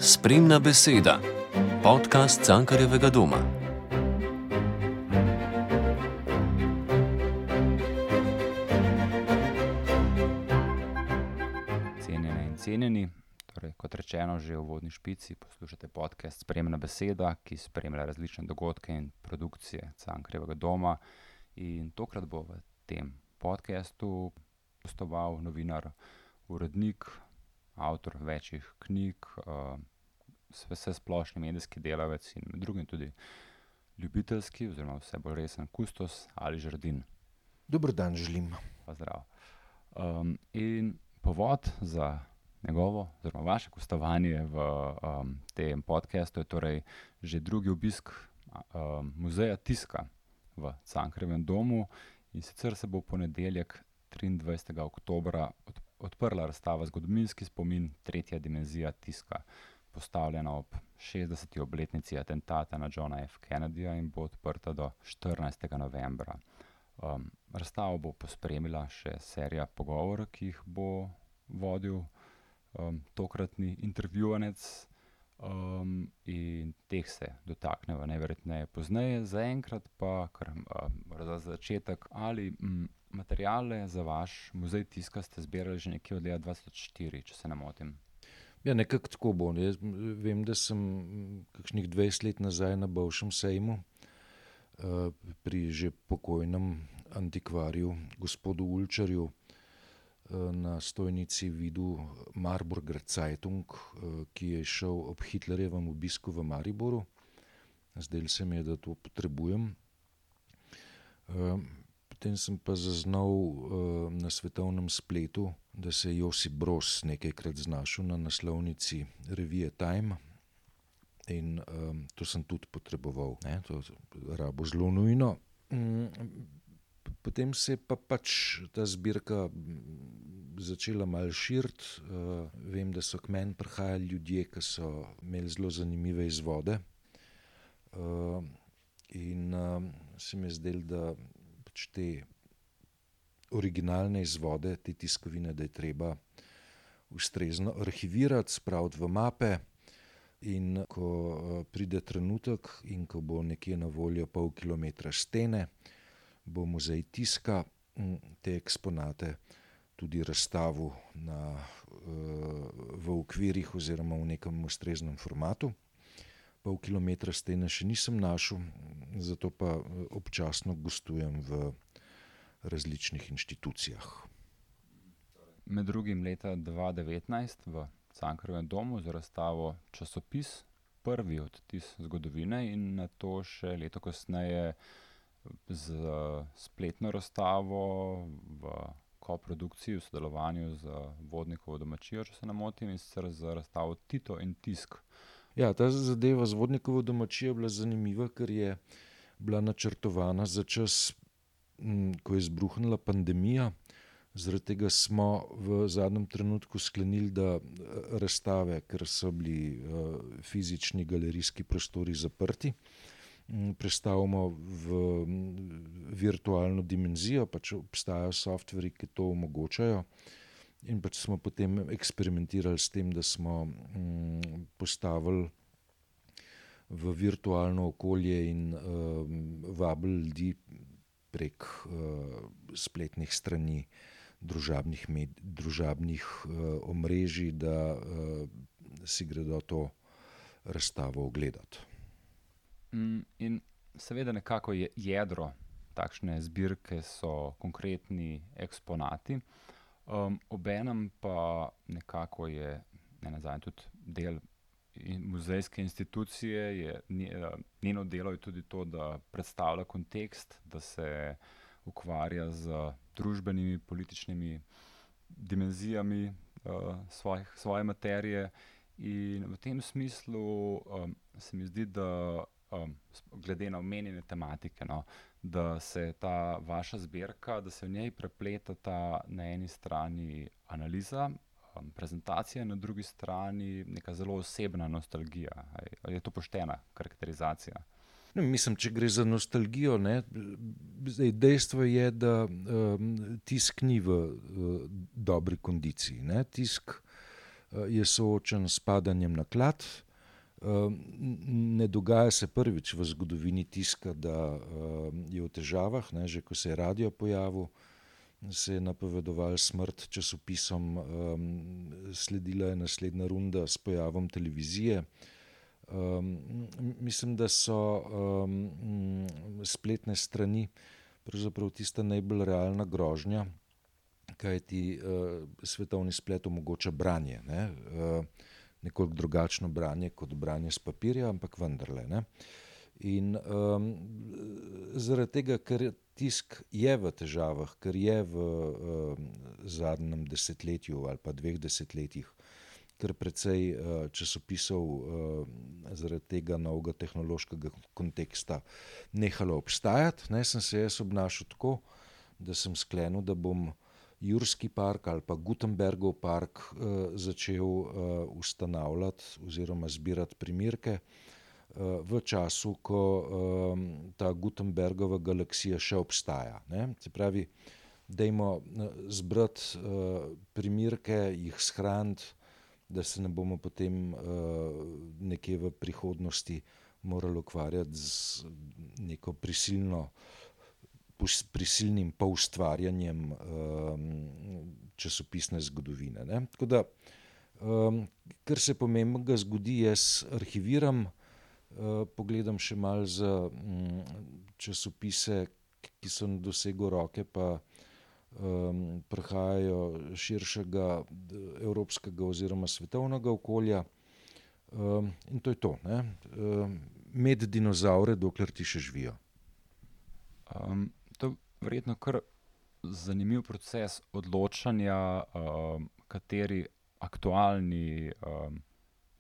Spremna beseda, podcast Cankarjevega doma. Cenjene in cenjeni, torej kot rečeno že v uvodni špici, poslušate podcast Spremna beseda, ki spremlja različne dogodke in produkcije Cankarjevega doma. In tokrat bo v tem podcastu gostoval novinar, urednik, avtor večjih knjig, vsesplošni medijski delavec in med drugim tudi ljubiteljski oziroma vse bolj resen kustos Ali Žerdin. Dober dan želim. Pozdrav. In povod za njegovo oziroma vaše gostovanje v tem podcastu je torej že drugi obisk muzeja tiska v Cankarjevem domu, in sicer se bo v ponedeljek 23. oktobra odprla razstava Zgodovinski spomin, tretja dimenzija tiska, postavljena ob 60. obletnici atentata na Johna F. Kennedyja in bo odprta do 14. novembra. Razstavo bo pospremila še serija pogovorov, ki jih bo vodil tokratni intervjuvanec, in teh se dotaknemo najverjetneje pozneje. Zaenkrat pa kar za začetek, ali materiale za vaš muzej tiska ste zbirali že nekje od leta 2004, če se ne motim? Ja, nekako tako bo. Jaz vem, da sem kakšnih 20 let nazaj na bivšem sejmu pri že pokojnem antikvarju gospodu Ulčarju na stojnici videl Marburger Zeitung, ki je šel ob Hitlerjevem obisku v Mariboru. Zdelo se mi je, da to potrebujem. Potem sem pa zaznal na svetovnem spletu, da se je Josip Broz nekajkrat znašel na naslovnici revije Time, in to sem tudi potreboval, ne? To rabo zelo nujno. Potem se je pa pač ta zbirka začela malo širiti. Vem, da so k meni prihajali ljudje, ki so imeli zelo zanimive izvode, in se mi je zdelo, da pač te originalne izvode, te tiskovine, da je treba ustrezno arhivirati, spraviti v mape, in ko pride trenutek in ko bo nekje na voljo pol kilometra stene, bo muzej tiska te eksponate tudi razstavil v okvirih oziroma v nekem ustreznem formatu. Pol kilometra stene še nisem našel, zato pa občasno gostujem v različnih inštitucijah. Med drugim leta 2019 v Cankarjevem domu za razstavo Časopis, prvi odtis zgodovine, in nato še leto kasneje z spletno razstavo v koprodukciji v sodelovanju z Vodnikovo domačijo, če se ne motim, in sicer za razstavo Tito in tisk. Ja, ta zadeva z Vodnikovo domačijo je bila zanimiva, ker je bila načrtovana za čas, ko je izbruhnila pandemija. Zaradi tega smo v zadnjem trenutku sklenili, da razstave, ker so bili fizični galerijski prostori zaprti, prestavimo v virtualno dimenzijo. Pač obstajajo softverji, ki to omogočajo, in pač smo potem eksperimentirali s tem, da smo postavili v virtualno okolje in vabili ljudi prek spletnih strani, družabnih omrežij, da si gredo to razstavo ogledati. In seveda nekako je jedro takšne zbirke so konkretni eksponati, obenem pa nekako je nenazadnje tudi del muzejske institucije, njeno delo je tudi to, da predstavlja kontekst, da se ukvarja z družbenimi, političnimi dimenzijami svoje materije, in v tem smislu se mi zdi, da glede na omenjene tematike, da se ta vaša zbirka, da se v njej prepletata na eni strani analiza, prezentacija, na drugi strani neka zelo osebna nostalgija. Ali je to poštena karakterizacija? Mislim, če gre za nostalgijo, ne, zdaj dejstvo je, da tisk ni v dobri kondiciji, ne. Tisk je soočen s padanjem naklad. Ne dogaja se prvič v zgodovini tiska, da je v težavah, ne, že ko se je radio pojavil, se je napovedoval smrt časopisom, sledila je naslednja runda s pojavom televizije. Mislim, da so spletne strani pravzaprav tista najbolj realna grožnja, kajti svetovni splet omogoča branje, ne? Nekoliko drugačno branje kot branje s papirja, ampak vendarle. Ne? In zaradi tega, ker tisk je v težavah, ker je v zadnjem desetletju ali pa 2 desetletjih, ker precej časopisov zaradi tega novega tehnološkega konteksta nehalo obstajati, ne, sem se jaz obnašal tako, da sem sklenil, da bom Jurski park ali pa Gutenbergov park začel ustanavljati oziroma zbirati primerke v času, ko ta Gutenbergova galaksija še obstaja. Ne. Se pravi, dajmo zbrati primerke, jih shraniti, da se ne bomo potem nekje v prihodnosti morali ukvarjati z neko prisilnim poustvarjanjem časopisne zgodovine. Ne. Tako da, kar se pomembnega zgodi, jaz arhiviram, pogledam še malo za časopise, ki so na dosegu roke, pa prihajajo širšega evropskega oziroma svetovnega okolja. In to je to. Ne. Med dinozavre, dokler ti še živijo. To je verjetno kar zanimiv proces odločanja, kateri aktualni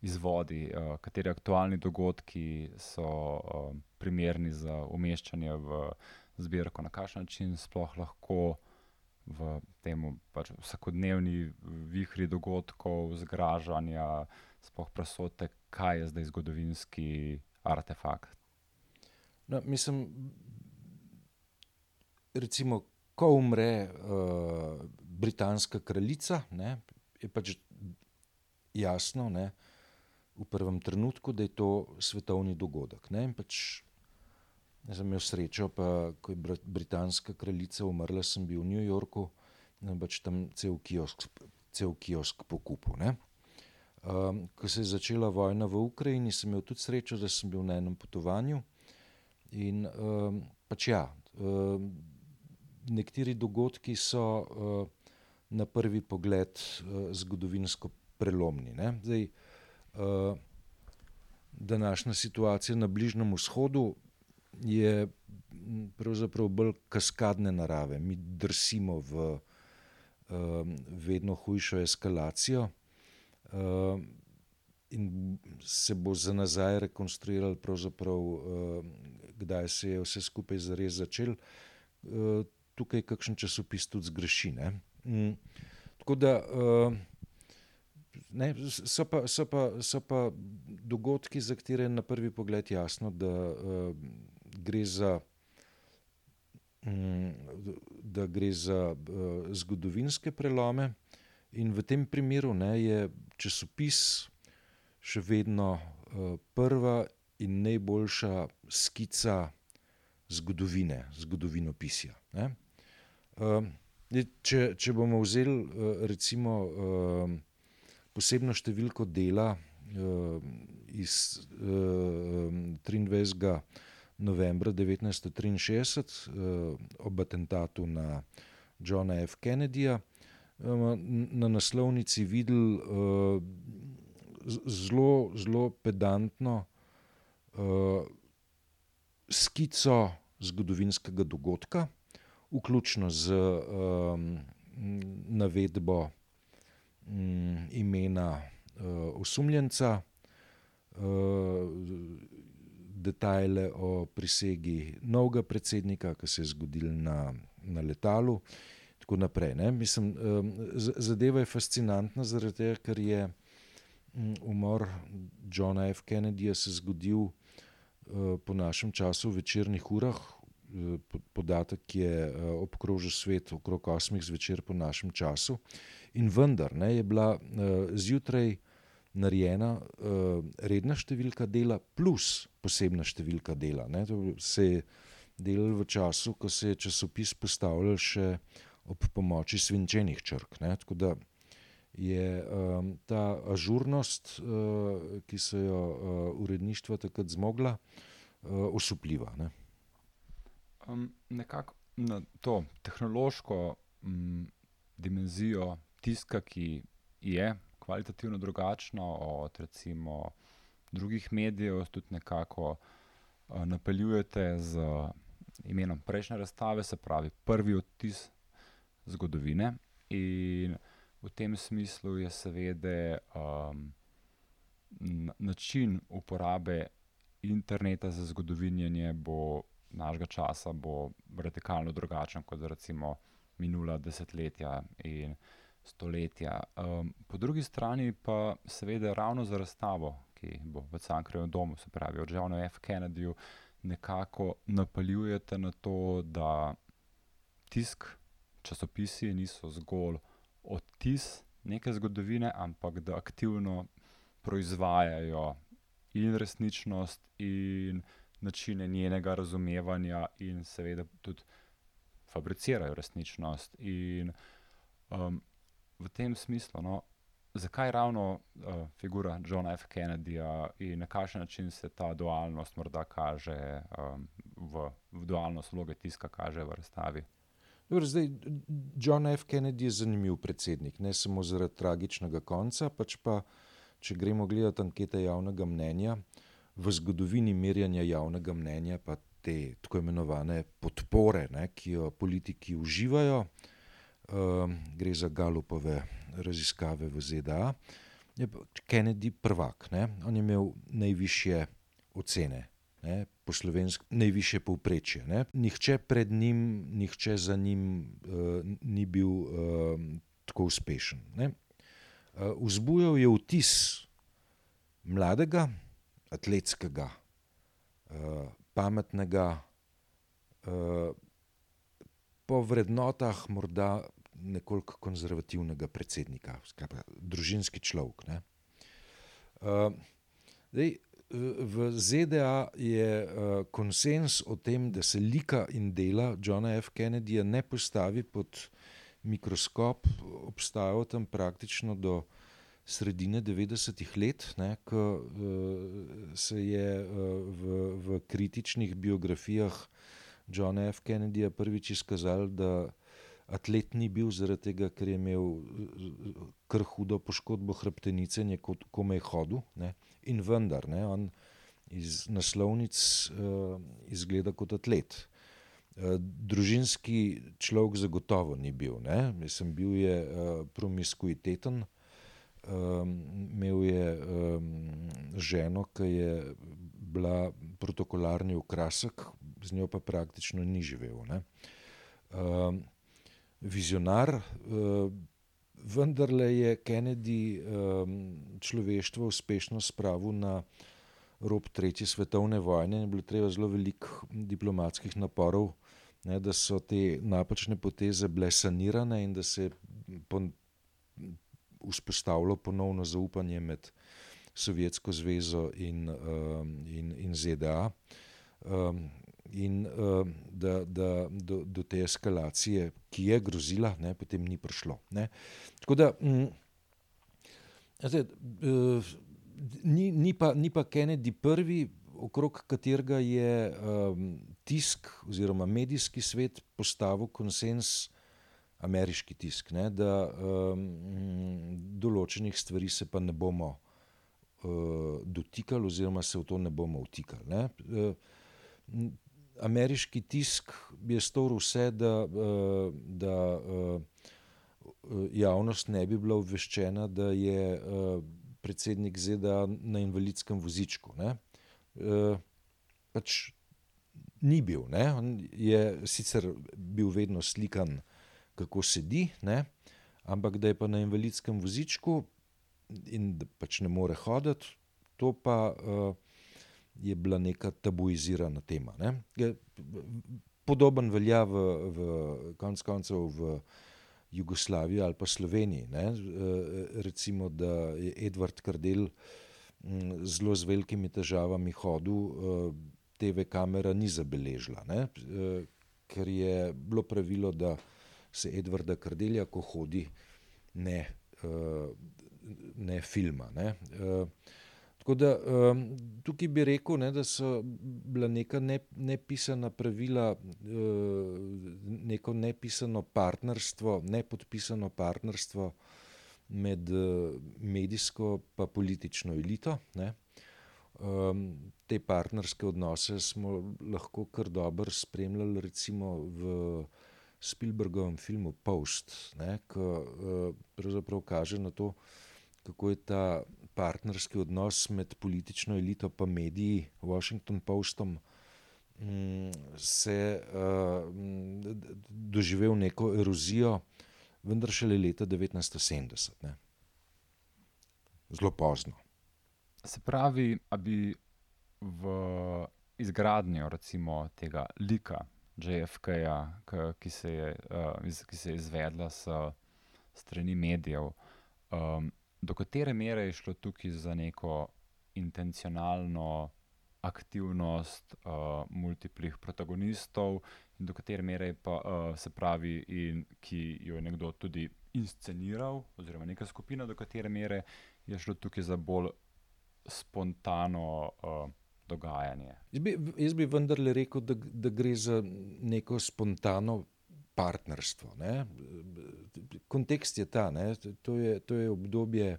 izvodi, kateri aktualni dogodki so primerni za umeščanje v zbirko, na kakšen način sploh lahko v temu pač vsakodnevni vihri dogodkov, zgražanja, sploh presote, kaj je zdaj zgodovinski artefakt. No, mislim, recimo, ko umre britanska kraljica, ne, je pač jasno, ne, v prvem trenutku, da je to svetovni dogodek. Ne, in pač jaz sem imel srečo, pa ko je britanska kraljica umrla, sem bil v New Yorku, in pač tam cel kiosk pokupil. Ne. Ko se je začela vojna v Ukrajini, sem imel tudi srečo, da sem bil na enem potovanju in pač ja, nekateri dogodki so na prvi pogled zgodovinsko prelomni. Ne. Zdaj, današnja situacija na Bližnjem vzhodu je pravzaprav bolj kaskadne narave. Mi drsimo v vedno hujšo eskalacijo in se bo za nazaj rekonstruiralo pravzaprav, kdaj se je vse skupaj zares začelo. Tukaj kakšen časopis tudi zgreši. Ne. Tako da ne, so pa dogodki, za katere je na prvi pogled jasno, da gre za zgodovinske prelome, in v tem primeru, ne, je časopis še vedno prva in najboljša skica zgodovinopisja. Ne. Če bomo vzeli recimo posebno številko dela iz 23. novembra 1963 ob atentatu na Johna F. Kennedyja, na naslovnici videli zelo pedantno skico zgodovinskega dogodka, vključno z navedbo imena osumljenca, detajle o prisegi novega predsednika, ki se je zgodil na letalu, tako naprej. Ne. Mislim, zadeva je fascinantna zaradi tega, ker je umor Johna F. Kennedyja se zgodil po našem času v večernih urah. Podatek je obkrožil svet okrog 8 zvečer po našem času In vendar je bila zjutraj narejena redna številka dela plus posebna številka dela. Ne. To se je delalo v času, ko se je časopis postavljal še ob pomoči svinčenih črk. Ne. Tako da je ta ažurnost, ki so jo uredništva takrat zmogla, osupljiva. Ne. Nekako na to tehnološko dimenzijo tiska, ki je kvalitativno drugačna od recimo drugih medijev, tudi nekako napeljujete z imenom prejšnje razstave, se pravi prvi odtis zgodovine, in v tem smislu je seveda način uporabe interneta za zgodovinjenje našega časa bo radikalno drugačen kot recimo minula desetletja in stoletja. Po drugi strani pa seveda ravno za razstavo, ki bo v Cankarjevem domu, se pravi od Johnu F. Kennedyju, nekako napeljujete na to, da tisk, časopisi niso zgolj odtis neke zgodovine, ampak da aktivno proizvajajo in resničnost in načine njenega razumevanja in seveda tudi fabricirajo resničnost. In v tem smislu, zakaj ravno figura Johna F. Kennedyja in na kakšen način se ta dualnost morda kaže v dualnost vloge tiska kaže v razstavi? Dobro, zdaj, John F. Kennedy je zanimiv predsednik, ne samo zaradi tragičnega konca, pač pa, če gremo gledati ankete javnega mnenja, v zgodovini merjanja javnega mnenja pa te tako imenovane podpore, ne, ki jo politiki uživajo, gre za Gallupove raziskave v ZDA, je Kennedy prvak. Ne. On je imel najvišje ocene, ne, po slovensko najvišje povprečje. Ne. Nihče pred njim, nihče za njim ni bil tako uspešen. Ne. Vzbujal je vtis mladega, atletskega, pametnega, po vrednotah morda nekoliko konzervativnega predsednika, skratka, družinski človek. Ne. Zdaj, v ZDA je konsenz o tem, da se lika in dela Johna F. Kennedyja ne postavi pod mikroskop, obstajal tam praktično do sredine 90-ih let, ne, ko se je v kritičnih biografijah Johna F. Kennedyja prvič izkazalo, da atlet ni bil zaradi tega, ker je imel kar hudo poškodbo hrbtenice in je komaj hodil, ne. In vendar, ne, on iz naslovnic izgleda kot atlet. Družinski človek zagotovo ni bil. Ne. Mislim, bil je promiskuiteten, imel je ženo, ki je bila protokolarni okrasek, z njo pa praktično ni živel. Ne. Vizionar, vendarle je Kennedy človeštvo uspešno spravil na rob tretje svetovne vojne in je bilo treba zelo veliko diplomatskih naporov, ne, da so te napačne poteze bile sanirane in da se je vzpostavilo ponovno zaupanje med Sovjetsko zvezo in ZDA. In da do te eskalacije, ki je grozila, ne, potem ni prišlo. Ne. Tako da ni pa Kennedy prvi, okrog katerega je tisk oziroma medijski svet postavil konsenz, ameriški tisk, ne, da določenih stvari se pa ne bomo dotikali oziroma se v to ne bomo vtikali. Ne. Ameriški tisk je storil vse, da javnost ne bi bila obveščena, da je predsednik ZDA na invalidskem vozičku. Ne. Pač ni bil. Ne. On je sicer bil vedno slikan, kako sedi, ne, ampak da je pa na invalidskem vozičku in da pač ne more hoditi, to pa je bila neka tabuizirana tema. Ne. Podoben velja v konec koncev v Jugoslaviji ali pa Sloveniji. Ne? Recimo, da je Edvard Kardelj zelo z velikimi težavami hodil, TV kamera ni zabeležila, ne? Ker je bilo pravilo, da se Edvarda Kardelja, ko hodi, ne filma. Ne? Tako da tukaj bi rekel, ne, da so bila neka nepisana pravila, neko nepisano partnerstvo, nepodpisano partnerstvo med medijsko pa politično elito. Ne. Te partnerske odnose smo lahko kar dobro spremljali recimo v Spielbergovem filmu Post, ne, ki pravzaprav kaže na to, kako je ta partnerski odnos med politično elito pa mediji, Washington Postom, se doživel neko erozijo, vendar šele leta 1970. Ne. Zelo pozno. Se pravi, a bi v izgradnjo recimo tega lika JFK-ja, ki se je izvedla s strani medijev, do katere mere je šlo tukaj za neko intencionalno aktivnost multiplih protagonistov in do katere mere pa se pravi, in ki jo je nekdo tudi insceniral, oziroma neka skupina, do katere mere je šlo tukaj za bolj spontano dogajanje. Jaz bi vendarle rekel, da gre za neko spontano partnerstvo. Ne? Kontekst je ta, ne? To je obdobje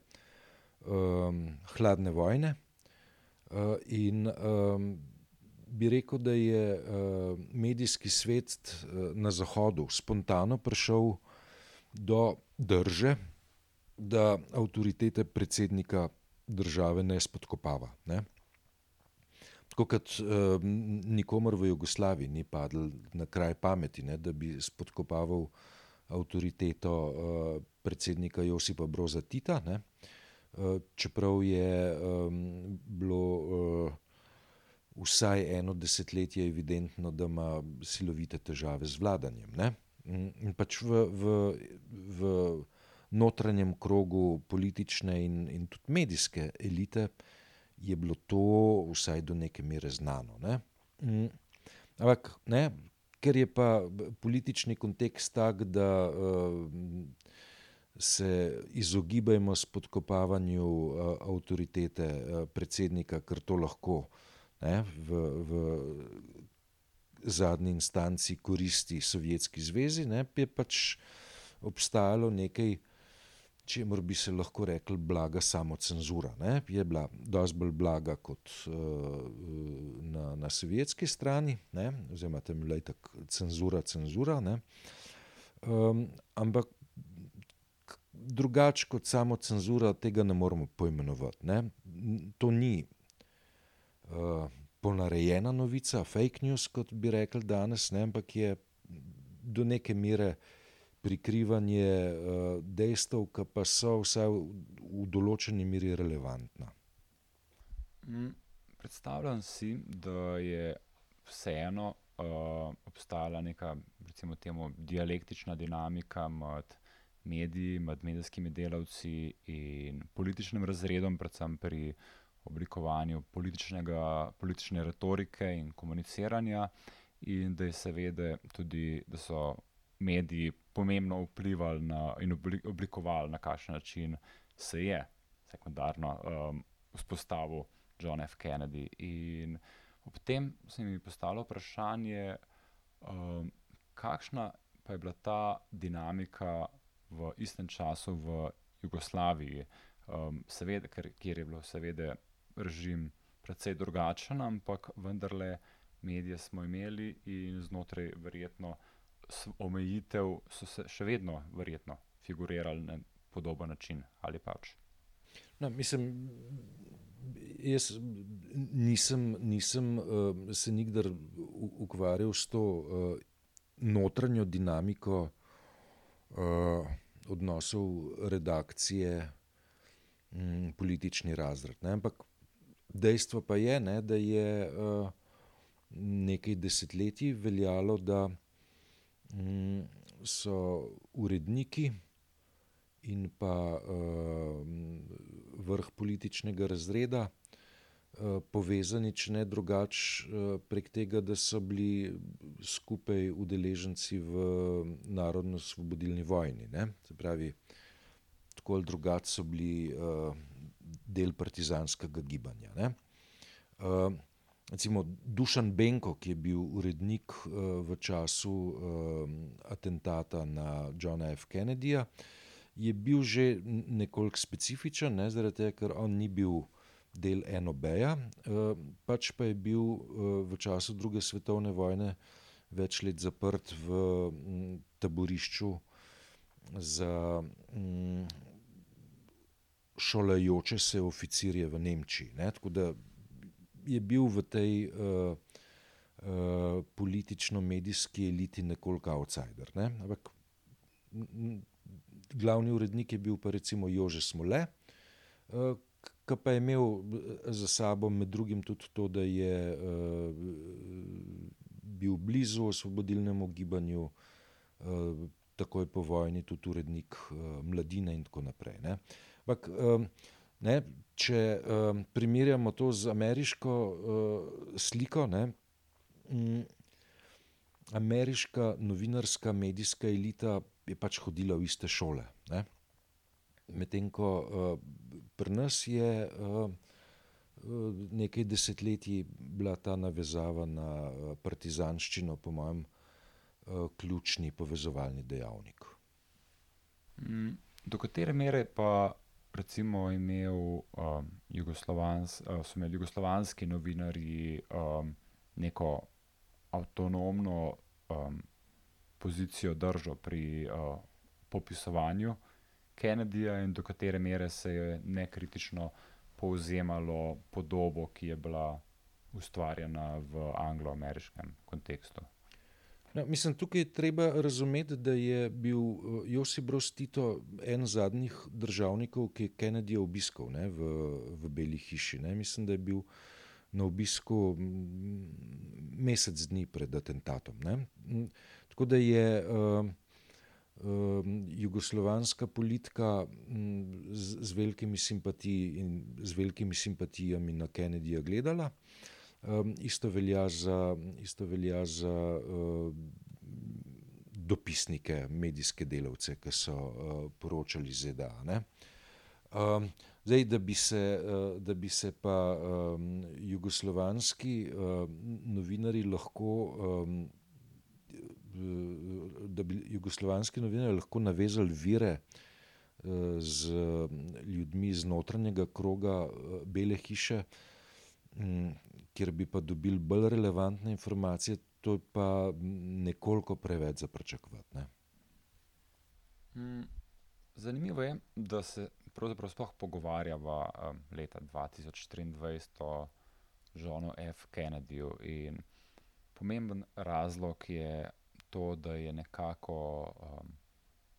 hladne vojne in bi rekel, da je medijski svet na Zahodu spontano prišel do drže, da avtoritete predsednika države ne spodkopava. Ne? Tako kot nikomor v Jugoslaviji ni padlo na kraj pameti, ne, da bi spodkopaval avtoriteto predsednika Josipa Broza Tita, ne, čeprav je bilo vsaj eno desetletje evidentno, da ima silovite težave z vladanjem. Ne. In pač v notranjem krogu politične in tudi medijske elite je bilo to vsaj do neke mere znano. Ne? Ampak, ne, ker je pa politični kontekst tak, da se izogibajmo spodkopavanju avtoritete predsednika, ker to lahko, ne, v zadnji instanci koristi Sovjetski zvezi, ne, je pač obstajalo nekaj, čemur bi se lahko rekli blaga samocenzura. Ne? Je bila dosti bolj blaga kot na sovjetski strani, ne? Oziroma tam je bila itak cenzura, ne? Ampak drugače kot samocenzura tega ne moremo poimenovati. Ne? To ni ponarejena novica, fake news, kot bi rekli danes, ne? Ampak je do neke mere prikrivanje dejstev, ki pa so vsaj v določeni meri relevantna. Predstavljam si, da je vseeno obstajala neka, recimo temu, dialektična dinamika med mediji, med medijskimi delavci in političnim razredom, predvsem pri oblikovanju politične retorike in komuniciranja, in da je seveda tudi, da so mediji pomembno vplivali in oblikovali, na kakšen način se je sekundarno vzpostavil John F. Kennedy. In ob tem se mi postalo vprašanje, kakšna pa je bila ta dinamika v istem času v Jugoslaviji, seveda, kjer je bilo seveda režim precej drugačen, ampak vendarle medije smo imeli in znotraj verjetno omejitev so se še vedno verjetno figurirali na podoben način, ali pač? No, mislim, jaz nisem se nikdar ukvarjal s to notranjo dinamiko odnosov redakcije politični razred. Ne? Ampak dejstvo pa je, ne, da je nekaj desetletij veljalo, da so uredniki in pa vrh političnega razreda povezani, če ne drugače, prek tega, da so bili skupaj udeleženci v narodno-osvobodilni vojni. Ne? Se pravi, tako ali drugače so bili del partizanskega gibanja. Ne? Recimo Dušan Benko, ki je bil urednik v času atentata na Johna F. Kennedyja, je bil že nekoliko specifičen, ne, zaradi tega, ker on ni bil del NOB-ja, pač pa je bil v času druge svetovne vojne več let zaprt v taborišču za šolajoče se oficirje v Nemčiji. Ne, tako da je bil v tej politično-medijski eliti nekoliko outsider. Ne? Ampak glavni urednik je bil pa recimo Jože Smole, ki pa je imel za sabo med drugim tudi to, da je bil blizu osvobodilnemu gibanju, takoj po vojni tudi urednik Mladine in tako naprej. Ne? Ampak, ne, če primerjamo to z ameriško sliko, ne, ameriška novinarska medijska elita je pač hodila v iste šole. Ne. Medtem ko pri nas je nekaj desetletij bila ta navezava na partizanščino, po mojem, ključni povezovalni dejavnik. Do katere mere pa recimo so imeli jugoslovanski novinarji neko avtonomno pozicijo držo pri popisovanju Kennedyja in do katere mere se je nekritično povzemalo podobo, ki je bila ustvarjena v anglo-ameriškem kontekstu. No, mislim, tukaj je treba razumeti, da je bil Josip Broz Tito en zadnjih državnikov, ki je Kennedyja obiskal, ne, v Beli hiši. Ne. Mislim, da je bil na obisku mesec dni pred atentatom. Ne. Tako da je jugoslovanska politika z velikimi simpatijami na Kennedyja gledala. Isto velja za dopisnike, medijske delavce, ki so poročali iz ZDA. Ne. Zdaj, da bi se pa jugoslovanski novinarji lahko navezali vire z ljudmi iz notranjega kroga Bele hiše, kjer bi pa dobili bolj relevantne informacije, to je pa nekoliko preveč za pričakovati. Zanimivo je, da se pravzaprav sploh pogovarjava leta 2023 o Johnu F. Kennedyju in pomemben razlog je to, da je nekako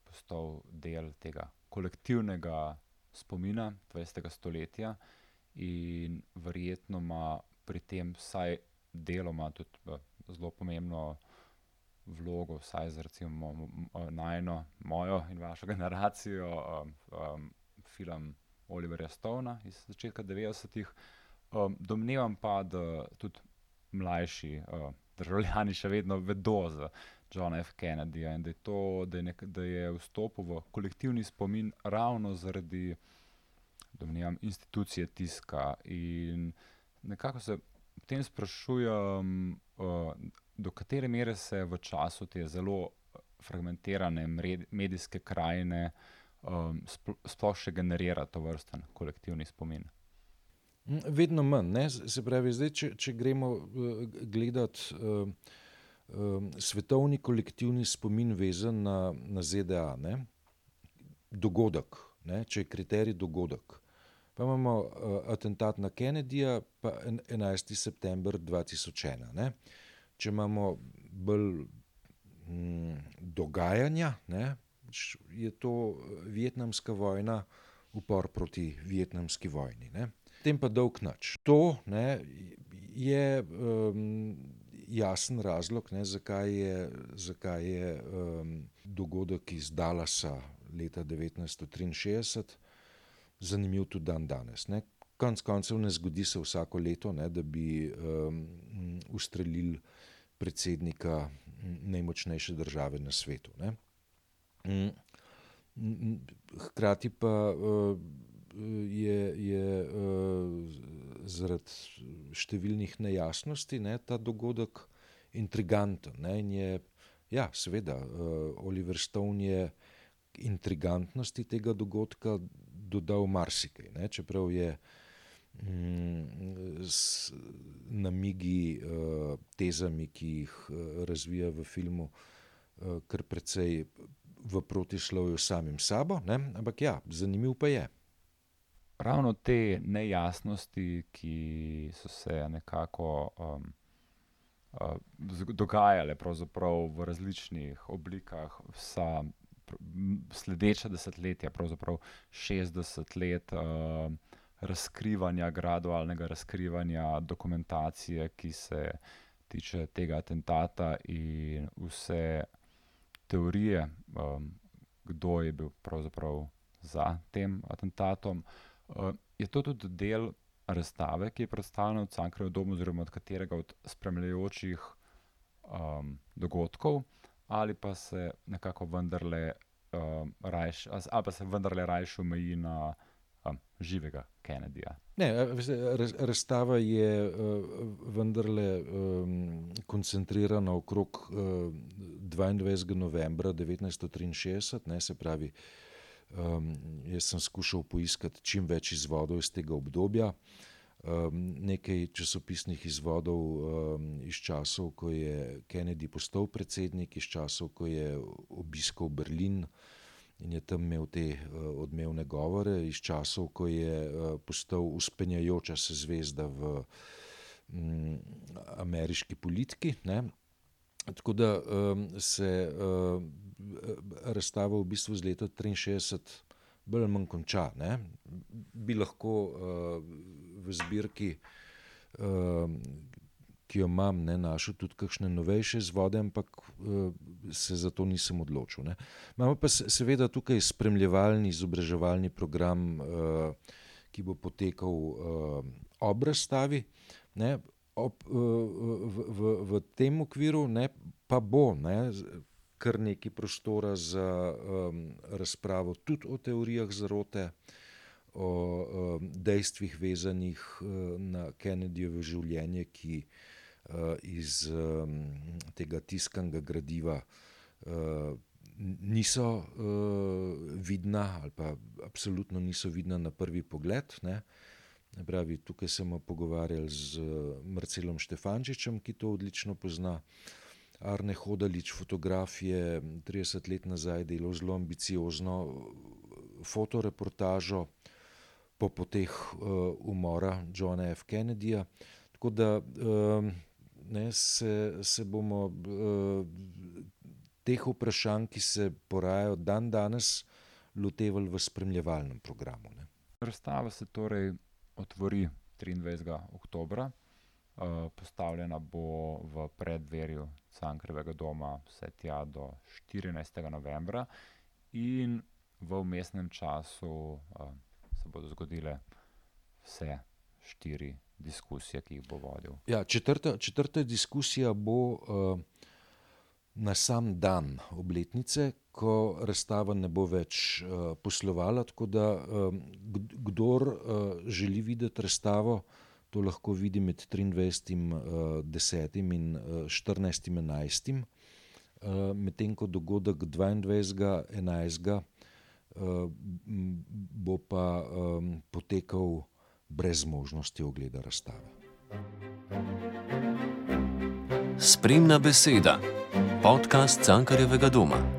postal del tega kolektivnega spomina 20. stoletja in verjetno ima pri tem vsaj deloma tudi zelo pomembno vlogo, vsaj za recimo mojo in vašo generacijo, film Oliverja Stona iz začetka 90-ih. Domnevam pa, da tudi mlajši državljani še vedno vedo za Johna F. Kennedyja in da je vstopil v kolektivni spomin ravno zaradi, domnevam, institucije tiska. In nekako se v tem sprašujem, do katere mere se v času te zelo fragmentirane medijske krajine sploh še generira tovrsten kolektivni spomin. Vedno manj. Ne? Se pravi, zdaj, če gremo gledati svetovni kolektivni spomin vezan na ZDA, ne? Dogodek, ne? Če je kriterij dogodek. Pa imamo atentat na Kennedyja, pa 11. september 2001. Ne? Če imamo bolj dogajanja, ne? Je to vietnamska vojna, upor proti vietnamski vojni. Ne? Tem pa dolg nič. To, ne, jasen razlog, ne, zakaj je dogodek iz Dallasa leta 1963 zanimiv tudi dan danes. Ne. Konec koncev ne zgodi se vsako leto, ne, da bi ustrelili predsednika najmočnejše države na svetu. Ne. Hkrati pa je zaradi številnih nejasnosti, ne, ta dogodek intriganten. Ne, in je, ja, seveda, Oliver Stone je intrigantnosti tega dogodka dodal marsikaj, ne, čeprav je s namigi, tezami, ki jih razvija v filmu, kar precej v protislovju samim sabo, ne, ampak ja, zanimiv pa je. Ravno te nejasnosti, ki so se nekako dogajale pravzaprav v različnih oblikah vsa sledeča desetletja, pravzaprav 60 let gradualnega razkrivanja dokumentacije, ki se tiče tega atentata, in vse teorije, kdo je bil pravzaprav za tem atentatom. Je to tudi del razstave, ki je predstavljena v Cankarjevem domu, oziroma od katerega od spremljajočih dogodkov, ali pa se nekako vendarle rajše omeji na živega Kennedyja? Ne, razstava je vendarle koncentrirana okrog 22. novembra 1963, ne, se pravi, jaz sem skušal poiskati čim več izvodov iz tega obdobja. Nekaj časopisnih izvodov iz časov, ko je Kennedy postal predsednik, iz časov, ko je obiskal Berlin in je tam imel te odmevne govore, iz časov, ko je postal vzpenjajoča se zvezda v ameriški politiki, ne. Tako da se razstava v bistvu z leta 1963 bolj ali manj konča, ne. Bi lahko v zbirki, ki jo imam, ne, našel tudi kakšne novejše izvode, ampak se za to nisem odločil, ne. Imamo pa seveda tukaj spremljevalni, izobraževalni program, ki bo potekal ob razstavi, ne. V tem okviru, ne, pa bo, ne, kar nekaj prostora za razpravo tudi o teorijah zarote, o dejstvih vezanih na Kennedyjevo življenje, ki iz tega tiskanega gradiva niso vidna ali pa absolutno niso vidna na prvi pogled, ne. Pravi, tukaj smo pogovarjali z Marcelom Štefančičem, ki to odlično pozna. Arne Hodalič, fotograf, je 30 let nazaj delal zelo ambiciozno fotoreportažo po poteh umora Johna F. Kennedyja. Tako da ne, se bomo teh vprašanj, ki se porajajo dan danes, lotevali v spremljevalnem programu, ne. Razstava se torej otvori 23. oktobra. Postavljena bo v preddverju Cankarjevega doma vse tja do 14. novembra in v vmesnem času se bodo zgodile vse 4 diskusije, ki jih bo vodil. Ja, četrta diskusija bo na sam dan obletnice, ko razstava ne bo več poslovala, tako da kdor želi videti razstavo, to lahko vidi med 23.10. in 14.11. Medtem ko dogodek 22.11. Bo pa potekal brez možnosti ogleda razstave. Spremna beseda. Podcast Cankarjevega doma.